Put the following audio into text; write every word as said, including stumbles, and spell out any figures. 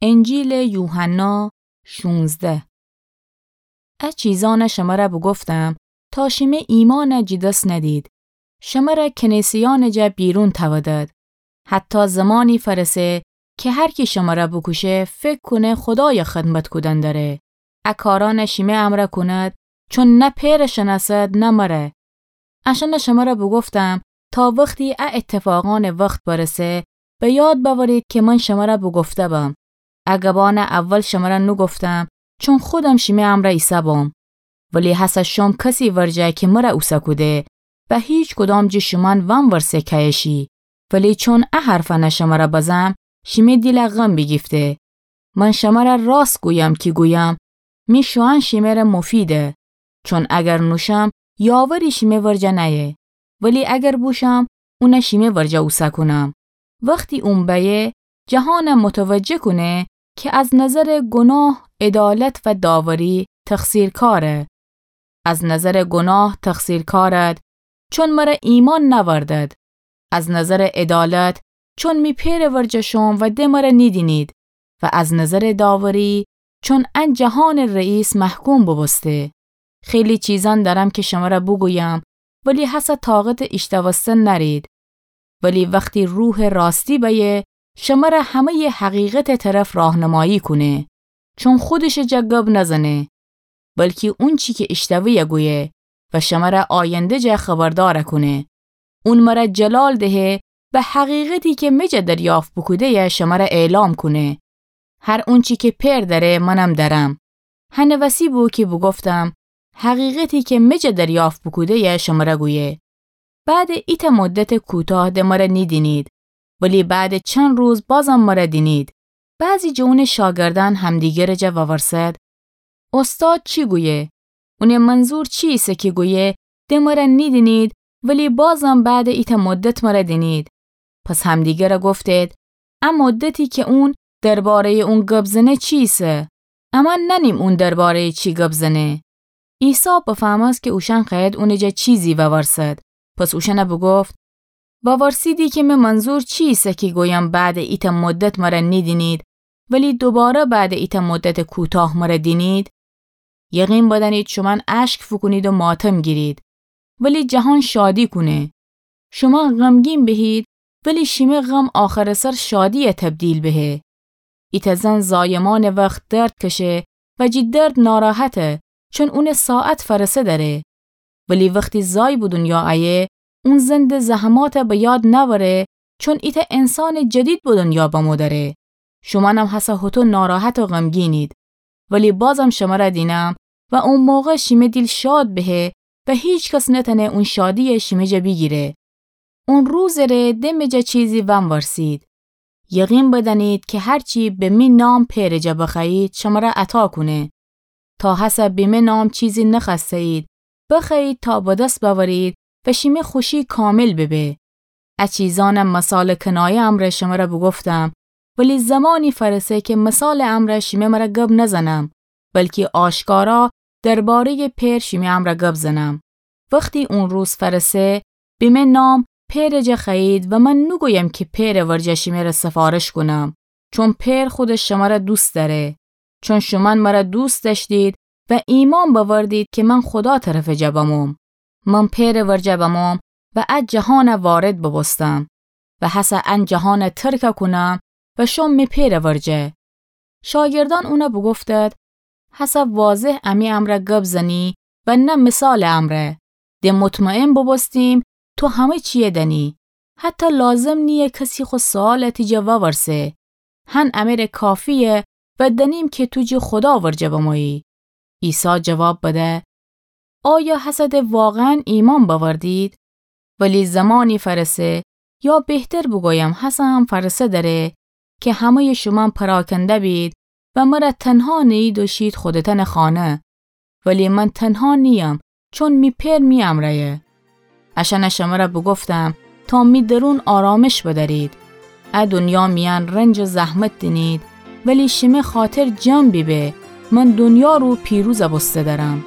انجیلٚ یوحنا شونزده. ا چیزأنَ شمرَ بوگفتم تا شیمه ایمأنَ جٚ دس ندید. شمرَ کنیسه‌یأنٚ جا بیرون تأودد. حتی زمانی فأرسه کی هر کی شمرَ بوکوشه فکر کونه خودایَ خدمت کودن دره. ا کارأنَ شیمه امرأ کونید، چون نه پئرَ شنأسد نه مرَ. اشأنَ شمرَ بوگفتم تا وختی ا ایتفاقأنٚ وخت بأرسه، به یاد بأورید کی من شمرَ بوگفته بم. ا گبأنَ اول شمرَ نوگفتم، چون خودم شیمه امرأ ایسه بوم. ولی هسه شوم کسی ورجه کی مرَ اوسه کوده و هیکدام جٚه شومأن وأنورسه کأیه شی. ولی چون ا حرفأنَ شمرَ بزم، شیمه دیلَ غم بیگیفته. من شمرَ راست گویم کی گویم، می شوئن شیمه‌ره مفیده. چون اگر نوشم، یاوری شیمه ورجه نأیه. ولی اگر بوشم، اونَ شیمه ورجه اوسه کونم. وختی اون بأیه، جهانَ متوجه کونه کی از نظرٚ گناه، عدالت و داوری تقصیرکاره. از نظرٚ گناه تقصیرکارد، چون مرَ ایمأن نأوردد. از نظرٚ عدالت، چون می پئرٚ ورجه شوم و د مرَ نیدینید. و از نظرٚ داوری، چون ان جهانٚ رئیس محکوم بوبوسته. خیلی چیزأن دأرم کی شمرَ بوگویم، ولی هسه طاقتٚ ایشتوستن نأرید. ولی وختی روحٚ راستی بأیه، شمرَ همه‌یٚ حقیقتٚ طرف راهنمایی کونه. چون خودشٚ جا گب نزنه، بلکی اونچی کی ایشتوه‌یَ گویه و شمرَ آینده جا خبردار کونه. اون مرَ جلال دهه و حقیقتی کی می جا دریافت بوکوده‌یَ شمرَ اعلام کونه. هر اونچی کی پئر دأره منم دأرم. هنٚ وسی بو کی بوگفتم، حقیقتی کی می جا دریافت بوکوده‌یَ شمرَ گویه. بعدٚ ایتأ مدتٚ کوتاه د مرَ نیدینید، ولی بعدٚ چند روز بازم مرَ دینید. بعضی جٚه اونٚ شاگردأن همدیگرٚ جا وورسد، اوستاد چی گویه؟ اونٚ منظور چی ایسه کی گویه، د مرَ نیدینید، ولی بازم بعدٚ ایتأ مدت مرَ دینید؟ پس همدیگرَ گفتید، ا مدتی کی اون درباره‌یٚ اون گب زنه چی ایسه؟ امأن نأنیم اون درباره‌یٚ چی گب زنه. عیسی بفهمست کی اوشأن خوأید اونٚ جا چیزی وورسد. پس اوشأنَ بوگفت، وورسیدی کی می منظور چی ایسه کی گویم بعدٚ ایتأ مدت مرَ نیدینید، ولی دوباره بعدٚ ایتأ مدتٚ کوتاه مرَ دینید؟ یقین بدأنید شومأن اشک فوکونید و ماتم گیرید، ولی جهان شادی کونه. شومأن غمگین بهید، ولی شیمه غم آخرٚ سر شادی‌یَ تبدیل بهه. ایتأ زن زایمأنٚ وخت درد کشه و جٚه درد ناراحته، چون اونٚ ساعت فأرسه دأره. ولی وختی زای به دونیا أیه، اون زن د زحماتَ به یاد نأوره، چون ایتأ انسانٚ جدید به دونیا بمو دأره. شومأنم هسه هوطو ناراحت و غمگینید. ولی بازم شمرَ دینم و او موقع شیمه دیل شاد بهه و هیکس نتأنه اون شادی‌یَ شیمه جا بیگیره. او روزٚ ره د می جا چیزی وأنورسید. یقین بدأنید کی هر چی به می نام پئرٚ جا بخوأیید، شمرَ عطا کونه. تا هسه به می نام چیزی نخوأسته‌یید، بخوأیید تا به دس بأورید و شیمه خوشی کامل ببه. ا چیزأنَ مثالٚ کنایه امرأ شمرَ بوگفتم، ولی زمانی فأرسه کی مثالٚ امرأ شیمه مرَ گب نزنم، بلکی آشکارا درباره‌یٚ پئر شیمه امرَ گب زنم. وختی او روز فأرسه، به می نام پئرٚ جا خوأیید و من نوگویم کی پئرٚ ورجه شیمه‌رَ سفارش کونم، چون پئر خودش شمرَ دوست دأره. چون شومأن مرَ دوست دأشتید و ایمأن بأوردید کی من خودا طرفٚ جا بموم. من پئرٚ ورجه بموم و ا جهانَ وارد بوبوستم و هسه ان جهانَ ترکَ کونم و شوم می پئرٚ ورجه. شاگردأن اونَ بوگفتد، هسه واضح امی امرأ گب زنی و نه مثالٚ امرأ. د مطمئن بوبوستیم تو همه چیَ دأنی. حتی لازم نییه کسی خو سؤالَ تی جا وورسه. هن امره کافییه و دأنیم کی تو جٚه خودا ورجه بمویی. عیسی جواب بده، آیا هسه د واقعاً ایمأن بأوردید؟ ولی زمانی فأرسه، یا بهتر بوگویم هسه هم فأرسه دره، کی همه‌یٚ شومأن پراکنده بید و مرَ تنها نیید و شید خودتأنٚ خانه. ولی من تنها نییم، چون می پئر می امرأیه. اشأنَ شمرَ بوگفتم تا می درون آرامش بدأرید. ا دونیا میأن رنج و زحمت دینید، ولی شیمه خاطر جم بیبه، من دونیا رو پیروزَ بوسته دأرم.